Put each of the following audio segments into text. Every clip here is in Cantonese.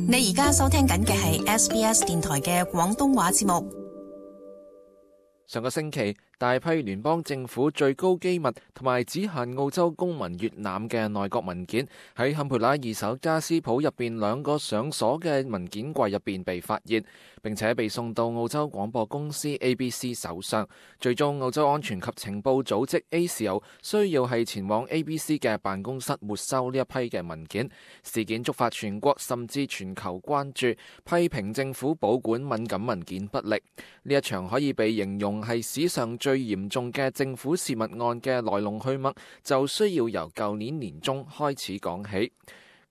你而家收聽緊嘅係 SBS 電台嘅廣東話節目。上個星期，大批聯邦政府最高機密同埋只限澳洲公民閱覽嘅內閣文件喺坎培拉二手家私鋪入邊兩個上鎖嘅文件櫃入邊被發現，並且被送到澳洲廣播公司 ABC 手上。最終，澳洲安全及情報組織 ASIO 需要係前往 ABC 嘅辦公室沒收呢一批嘅文件。事件觸發全國甚至全球關注，批評政府保管敏感文件不力。呢一場可以被形容係史上最嚴重嘅政府洩密案嘅來龍去脈，就需要由舊年年中開始講起。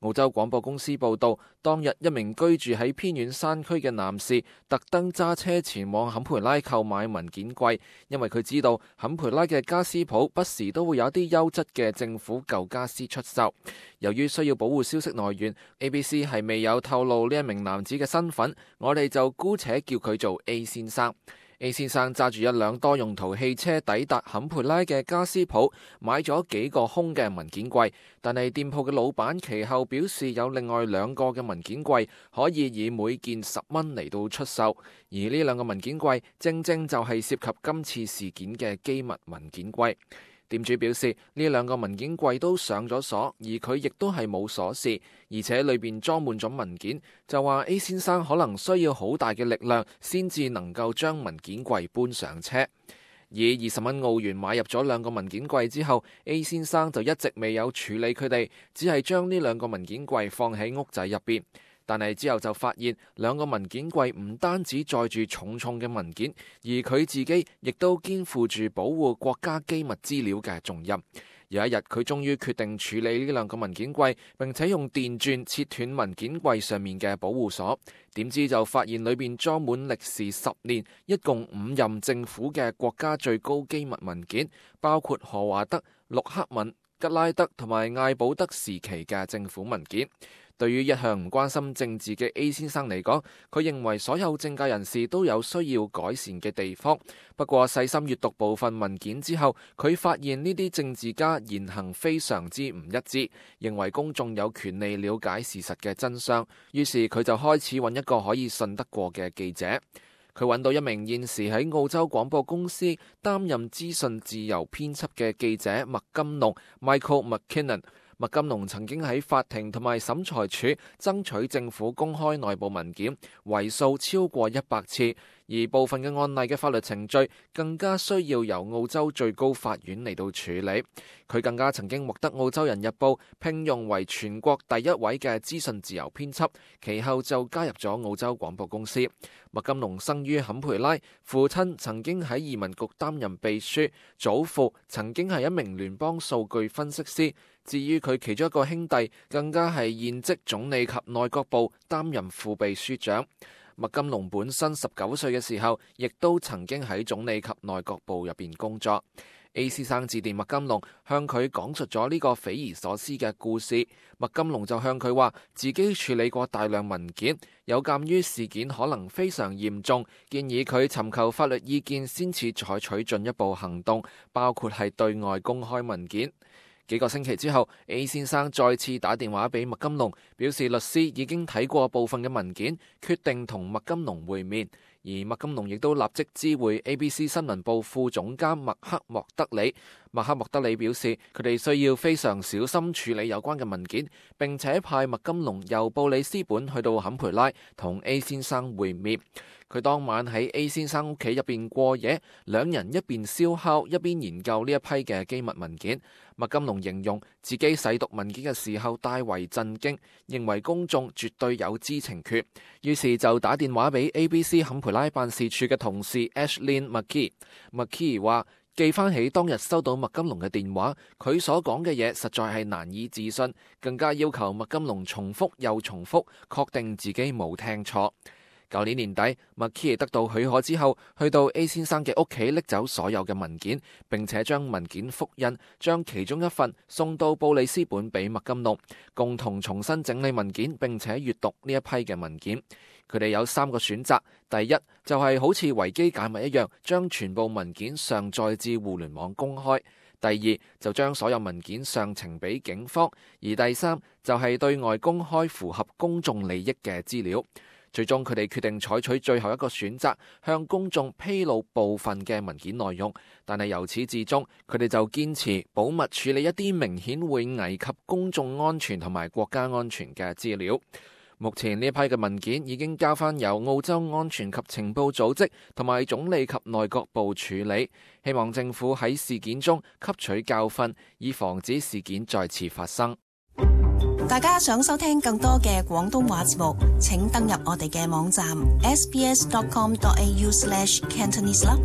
澳洲廣播公司報道，當日一名居住喺偏遠山區嘅男士特登揸車前往坎培拉購買文件櫃，因為佢知道坎培拉嘅家私鋪不時都會有一啲優質嘅政府舊家私出售。由於需要保護消息來源， ABC 係未有透露呢一名男子嘅身份，我哋就姑且叫佢做 A 先生。A 先生揸住一輛多用途汽車抵達坎培拉嘅家私鋪，買咗幾個空嘅文件櫃，但係店鋪嘅老闆其後表示有另外兩個嘅文件櫃可以以每件10蚊嚟到出售，而呢兩個文件櫃正正就係涉及今次事件嘅機密文件櫃。店主表示呢兩個文件櫃都上咗鎖，而佢亦都係冇鎖匙，而且裏邊裝滿咗文件，就話 A 先生可能需要好大嘅力量先至能夠將文件櫃搬上車。以20蚊澳元買入咗兩個文件櫃之後， A 先生就一直未有處理佢哋，只係將呢兩個文件櫃放喺屋仔入邊。但係之後就發現兩個文件櫃唔單止載住重重嘅文件，而佢自己亦都肩負住保護國家機密資料嘅重任。有一日，佢終於決定處理呢兩個文件櫃，並且用電鑽切斷文件櫃上面嘅保護鎖。點知就發現裏邊裝滿歷時10年、一共5任政府嘅國家最高機密文件，包括何華德、陸克文、吉拉德同埋艾保德時期嘅政府文件。對於一向唔關心政治嘅 A 先生嚟講，佢認為所有政界人士都有需要改善嘅地方。不過細心閱讀部分文件之後，佢發現呢啲政治家言行非常之唔一致，認為公眾有權利了解事實嘅真相。於是佢就開始揾一個可以信得過嘅記者。佢揾到一名現時喺澳洲廣播公司擔任資訊自由編輯嘅記者麥金龍 Michael McKinnon。麥金龍曾經喺法庭同埋審裁處爭取政府公開內部文件，為數超過100次，而部分嘅案例嘅法律程序更加需要由澳洲最高法院嚟到處理。佢更加曾經獲得澳洲人日報聘用為全國第一位嘅資訊自由編輯，其後就加入咗澳洲廣播公司。麥金龍生於坎培拉，父親曾經喺移民局擔任秘書，祖父曾經係一名聯邦數據分析師。至於佢其中一個兄弟，更加係現職總理及內閣部擔任副秘書長。麥金龍本身19歲嘅時候，亦都曾經喺總理及內閣部入邊工作。A 先生致電麥金龍，向佢講述咗呢個匪夷所思嘅故事。麥金龍就向佢話自己處理過大量文件，有鑑於事件可能非常嚴重，建議佢尋求法律意見先至採取進一步行動，包括係對外公開文件。幾個星期之後， A 先生再次打電話俾麥金龍，表示律師已經睇過部分嘅文件，決定同麥金龍會面。而麥金龍亦都立即知會 ABC 新聞部副總監麥克莫德里。麥克莫德里表示，佢哋需要非常小心處理有關嘅文件，並且派麥金龍由布里斯本去到坎培拉同 A 先生會面。佢當晚喺 A 先生屋企入邊過夜，兩人一邊燒烤一邊研究呢一批嘅機密文件。麥金龍形容自己細讀文件嘅時候大為震驚，認為公眾絕對有知情權，於是就打電話俾 ABC 坎培拉辦事處嘅同事 Ashlyn McKee。McKee 話記翻起當日收到麥金龍嘅電話，佢所講嘅嘢實在係難以置信，更加要求麥金龍重複又重複，確定自己冇聽錯。舊年年底，麥基得到許可之後，去到 A 先生嘅屋企拎走所有嘅文件，並且將文件複印，將其中一份送到布里斯本俾麥金龍，共同重新整理文件，並且閱讀呢一批嘅文件。佢哋有3個選擇，第一就係好似維基解密一樣，將全部文件上載至互聯網公開。第二就將所有文件上呈俾警方，而第三就係對外公開符合公眾利益嘅資料。最終佢哋決定採取最後一個選擇，向公眾披露部分嘅文件內容，但係由始至終佢哋就堅持保密處理一啲明顯會危及公眾安全同埋國家安全嘅資料。目前呢一批嘅文件已經交翻由澳洲安全及情報組織同埋總理及內閣部處理，希望政府喺事件中吸取教訓，以防止事件再次發生。大家想收聽更多嘅廣東話節目，請登入我哋嘅網站 sbs.com.au/cantonese 啦。